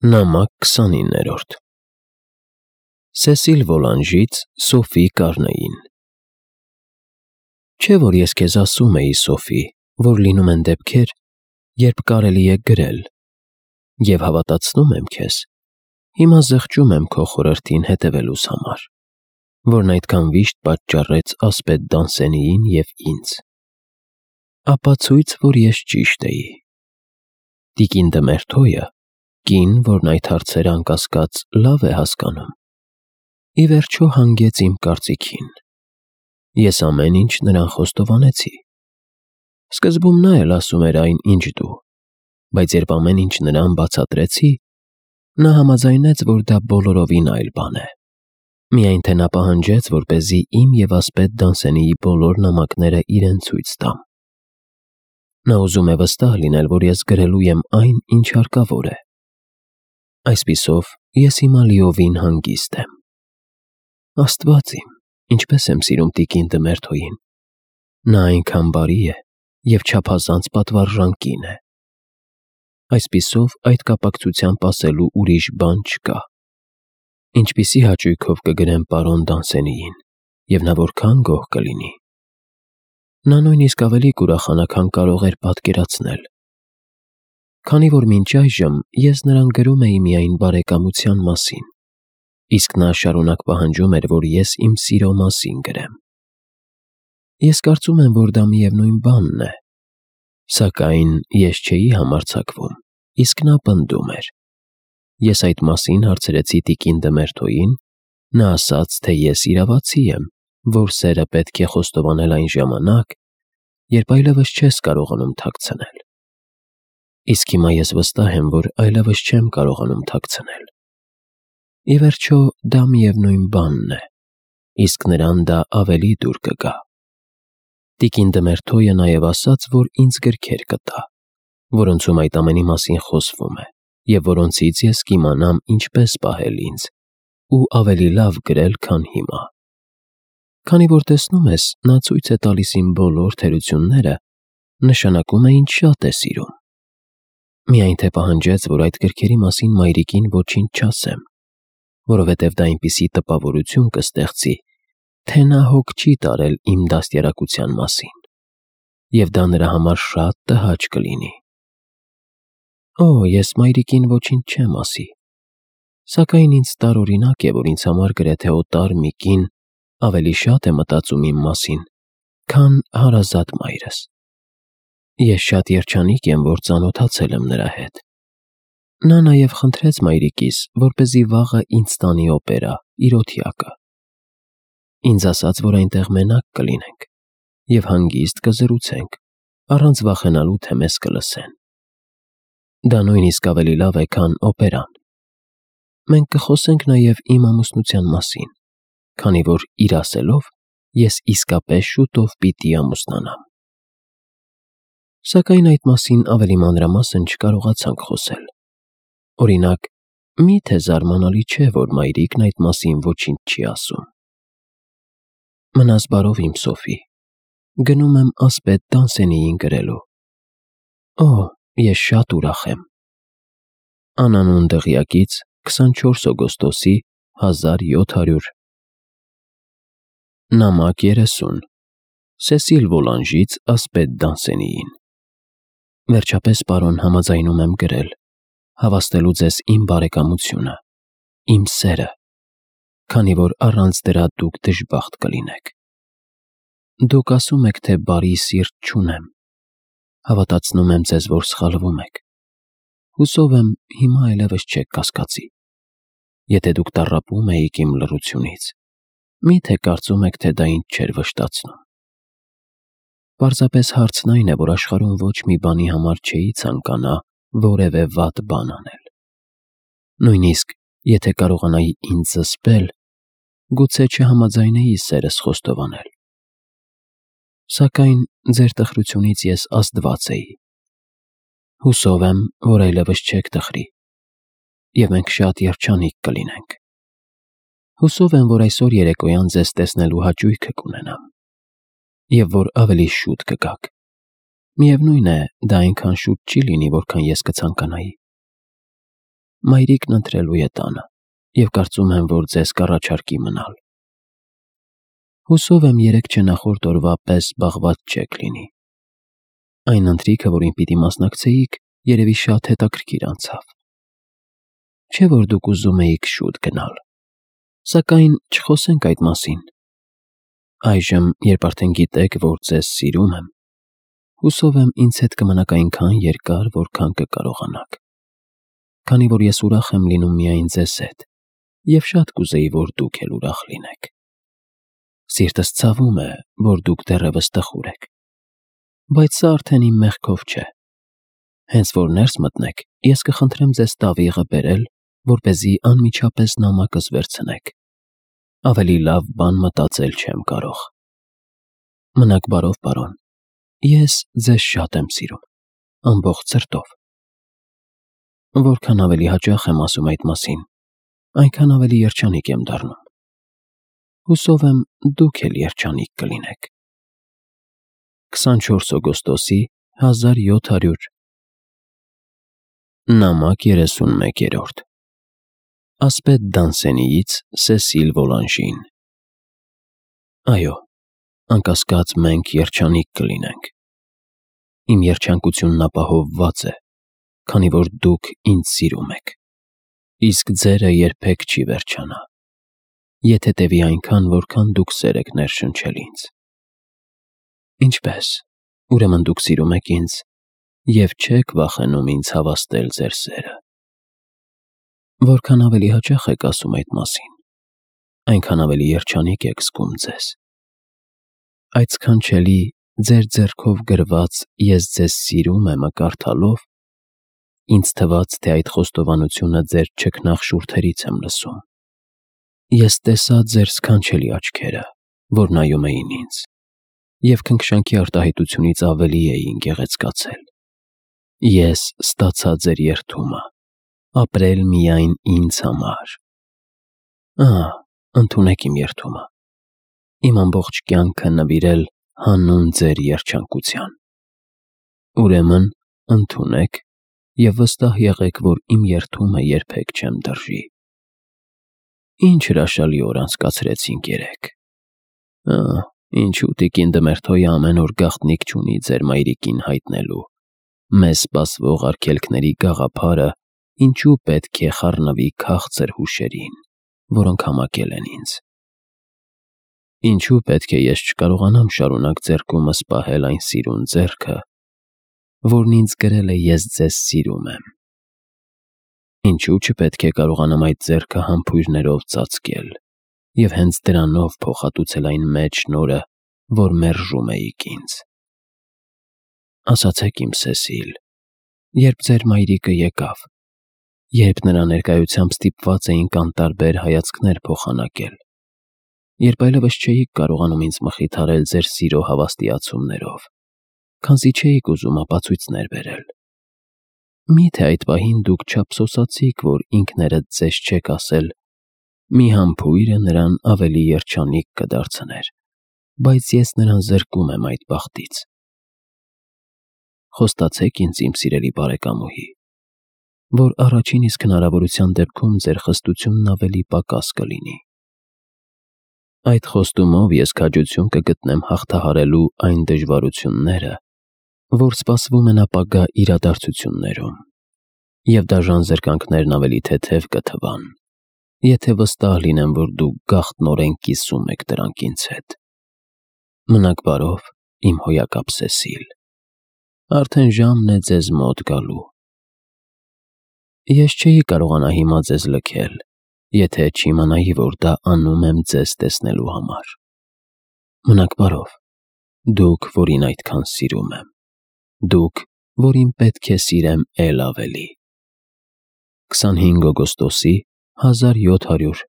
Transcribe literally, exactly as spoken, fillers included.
Նամակ քսանիններորդ Սեսիլ Վոլանժից Սոֆի Կարնեին Չէ՞ որ ես քեզ ասում էի, Սոֆի, որ լինում են դեպքեր, երբ կարելի է գրել, և հավատացնում եմ քեզ, հիմա զղջում եմ քո խորհրդին հետևելուս համար, որն այդքան վիշտ պատճառեց ասպետ Դանսենիին և ինձ, ապացույց, որ ես ճիշտ էի։ Տիկին Դմերթոյը, կին, որն այդ հարցերը անկասկած լավ է հասկանում, ի վերջո հանգեց իմ կարծիքին։ Ես ամեն ինչ նրան խոստովանեցի։ Սկզբում նա էլ ասում էր այն, ինչ դու, բայց երբ ամեն ինչ նրան բացատրեցի, նա համաձայնեց, որ դա բոլորովին այլ բան է, միայն թե նա պահանջեց, որպեսզի իմ և ասպետ Դանսենիի բոլոր նամակները իրեն ցույց տամ։ Նա ուզում է վստահ լինել, որ ես գրելու եմ այն, ինչ հարկավոր է։ Այսպիսով, ես հիմա լիովին հանգիստ եմ։ Աստված իմ, ինչպես եմ սիրում տիկին Դմերթոյին։ Նա այնքան բարի է և չափազանց պատվարժան կին է։ Այսպիսով, այդ կապակցությամբ ասելու ուրիշ բան չկա։ Ինչպիսի հաճույքով կգրեմ պարոն Դանսենիին, և նա որքան գոհ կլինի։ Նա նույնիսկ ավելի կուրախանա, քան կարող էր պատկերացնել։ Քանի որ մինչ այժմ ես նրան գրում էի միայն բարեկամության մասին, իսկ նա շարունակ պահանջում էր, որ ես իմ սիրո մասին գրեմ։ Ես կարծում եմ, որ դա միևնույն բանն է, սակայն ես չէի համարձակվում, իսկ նա պնդում էր։ Ես այդ մասին հարցրեցի տիկին Դմերթոյին, նա ասաց, թե ես իրավացի եմ, որ սերը պետք է խոստովանել այն ժամանակ, երբ այլևս չես կարողանում թաքցնել։ Իսկ հիմա ես վստահ եմ, որ այլևս չեմ կարողանում թաքցնել։ Ի վերջո, դա միևնույն բանն է, իսկ նրան դա ավելի դուր կգա։ Տիկին Դմերթոյը նաև ասաց, որ ինձ գրքեր կտա, որոնցում այդ ամենի մասին խոսվում է, և որոնցից ես կիմանամ ինչպես պահել ինձ ու ավելի լավ գրել, քան հիմա։ Քանի որ տեսնում ես, նա ցույց է տալիս իմ բոլոր թերությունները, նշանակում է ինձ շատ է սիրում։ Միայն թե պահանջեց, որ այդ գրքերի մասին մայրիկին ոչինչ չասեմ, որովհետև դա այնպիսի տպավորություն կստեղծի, թե նա հոգ չի տարել իմ դաստիարակության մասին, և դա նրա համար շատ տհաճ կլինի։ Օ, ես մայրիկին ոչինչ չեմ ասի, սակայն ինձ տարօրինակ է, որ ինձ համար գրեթե օտար մի կին ավելի շատ է մտածում իմ մասին, քան հարազատ մայրս։ Ես շատ երջանիկ եմ, որ ծանոթացել եմ նրա հետ։ Նա նաև խնդրեց մայրիկիս, որպեսզի վաղը ինձ տանի օպերա, իր օթյակը։ Ինձ ասաց, որ այնտեղ մենակ կլինենք և հանգիստ կզրուցենք, առանց վախենալու, թե մեզ կլսեն։ Դա նույնիսկ ավելի լավ է, քան օպերան։ Մենք կխոսենք նաև իմ ամուսնության մասին, քանի որ իր ասելով, ես իսկապես շուտով պիտի ամուսնանամ։ Սակայն այդ մասին ավելի մանրամասն չկարողացանք խոսել։ Օրինակ, մի՞թե զարմանալի չէ, որ մայրիկն այդ մասին ոչինչ չի ասում։ Մնաս բարով, իմ Սոֆի, գնում եմ ասպետ Դանսենիին գրելու։ Օ, ես շատ ուրախ եմ։ Անանուն դղյակից քսանչորս օգոստոսի հազար յոթ հարյուր Նամակ երեսուն Սեսիլ Վոլանժից ասպետ Դանսենիին Վերջապես, պարոն, համաձայնում եմ գրել, հավաստելու ձեզ իմ բարեկամությունը, իմ սերը, քանի որ առանց դրա դուք դժբախտ կլինեք։ Դուք ասում եք, թե բարի սիրտ չունեմ, հավատացնում եմ ձեզ, որ սխալվում եք։ Հուսով եմ, հիմա այլևս չեք կասկածի։ Եթե դուք տառապում էիք իմ լռությունից, մի՞թե կարծում եք, թե դա ինձ չէր վշտացնում։ Պարզապես հարցն այն է, որ աշխարհում ոչ մի բանի համար չէի ցանկանա որևէ վատ բան անել։ Նույնիսկ եթե կարողանայի ինձ զսպել, գուցե չհամաձայնեի սերս խոստովանել։ Սակայն ձեր տխրությունից ես ազդված էի։ Հուսով եմ, որ այլևս չեք տխրի, և մենք շատ երջանիկ կլինենք։ Հուսով եմ, որ այսօր երեկոյան ձեզ տեսնելու հաճույքը կունենամ, և որ ավելի շուտ կգաք։ Միևնույն է, դա այնքան շուտ չի լինի, որքան ես կցանկանայի։ մայրիկն ընտրելու է տանը և կարծում եմ, որ ձեզ կառաջարկի մնալ։ Հուսով եմ երեկ չնախորդ օրվա պես զբաղված չեք լինի։ Այն ընթրիքը, որին պիտի մասնակցեիք, երևի շատ հետաքրքիր անցավ։ Չէ՞ որ դուք ուզում էիք շուտ գնալ, սակայն չխոսենք այդ մասին։ Այժմ, երբ արդեն գիտեք, որ ձեզ սիրում եմ, հուսով եմ ինձ հետ կմնաք այնքան երկար, որքան կկարողանաք, քանի որ ես ուրախ եմ լինում միայն ձեզ հետ և շատ կուզեի, որ դուք էլ ուրախ լինեք։ Սիրտս ցավում է, որ դուք դեռևս տխուր եք, բայց սա արդեն իմ մեղքով չէ։ Հենց որ ներս մտնեք, ես կխնդրեմ ձեզ տավիղը բերել, որպեսզի անմիջապես նամակս վերցնեք։ Ավելի լավ բան մտածել չեմ կարող։ Մնաք բարով, պարոն, ես ձեզ շատ եմ սիրում, ամբողջ սրտով։ Որքան ավելի հաճախ եմ ասում այդ մասին, այնքան ավելի երջանիկ եմ դառնում։ Հուսով եմ դուք էլ երջանիկ կլինեք։ քսանչորս օգոստոսի հազար յոթ հարյուր Նամակ երեսունմեկերորդ Ասպետ Դանսենիից Սեսիլ Վոլանժին Այո, անկասկած մենք երջանիկ կլինենք։ Իմ երջանկությունն ապահովված է, քանի որ դուք ինձ սիրում եք, իսկ ձերը երբեք չի վերջանա, եթե տևի այնքան, որքան դուք սեր եք ներշնչել ինձ։ Ինչպե՞ս, ուրեմն դուք սիրում եք ինձ և չեք վախենում ինձ հավաստել ձեր սերը։ Որքան ավելի հաճախ եք ասում այդ մասին, այնքան ավելի երջանիկ եք զգում ձեզ։ Այդ սքանչելի ձեր ձեռքով գրված «Ես ձեզ սիրում եմ»-ը կարդալով, ինձ թվաց, թե այդ խոստովանությունը ձեր չքնաղ շուրթերից եմ լսում։ Ես տեսա ձեր սքանչելի աչքերը, որ նայում էին ինձ, և քնքշանքի արտահայտությունից ավելի էին գեղեցկացել։ Ես ստացա ձեր երդումը, ապրել միայն ինձ համար։ Ահա, ընդունեք իմ երդումը, իմ ամբողջ կյանքը նվիրել հանուն ձեր երջանկության։ Ուրեմն, ընդունեք և վստահ եղեք, որ իմ երդումը երբեք չեմ դրժի։ Ինչ հրաշալի օր անցկացրեցինք երեկ։ Ահ, ինչու տիկին Դմերթոյը ամեն օր գաղտնիք չունի ձեր մայրիկին հայտնելու, մեզ սպասվող արգելքների գաղափարը ինչու պետք է խառնվի քաղցր հուշերին, որոնք համակել են ինձ։ Ինչու պետք է ես չկարողանամ շարունակ ձեռքումս պահել այն սիրուն ձեռքը, որն ինձ գրել է «Ես ձեզ սիրում եմ»։ Ինչու չպետք է կարողանամ այդ ձեռքը համբույրներով ծածկել և հենց դրանով փոխհատուցել այն մեծ շնորհը, որ մերժում էիք ինձ։ Ասացեք իմ Սեսիլ, երբ ձեր մայրիկը եկավ, երբ նրա ներկայությամբ ստիպված էինք անտարբեր հայացքներ փոխանակել, երբ այլևս չէիք կարողանում ինձ մխիթարել ձեր սիրո հավաստիացումներով, քանզի չէիք ուզում ապացույցներ բերել։ Մի՞թե այդ պահին դուք չափսոսացիք, որ ինքներդ ձեզ չեք ասել. «Մի համբույրը նրան ավելի երջանիկ կդարձներ, բայց ես նրան զրկում եմ այդ բախտից»։ Խոստացեք ինձ, իմ սիրելի բարեկամուհի, որ առաջին իսկ հնարավորության դեպքում ձեր խստությունն ավելի պակաս կլինի։ Այդ խոստումով ես քաջություն կգտնեմ հաղթահարելու այն դժվարությունները, որ սպասվում են ապագա իրադարձություններում, և դաժան զրկանքներն ավելի թեթև կթվան, եթե վստահ լինեմ, որ դուք գաղտնորեն կիսում եք դրանք ինձ հետ։ Մնաք բարով, իմ հոյակապ Սեսիլ։ Արդեն ժամն է ձեզ մոտ գալու։ Ես չէի կարողանա հիմա ձեզ լքել, եթե չիմանայի, որ դա անում եմ ձեզ տեսնելու համար։ Մնաք բարով, դուք, որին այդքան սիրում եմ, դուք, որին պետք է սիրեմ էլ ավելի։ քսանհինգ օգոստոսի հազար յոթ հարյուր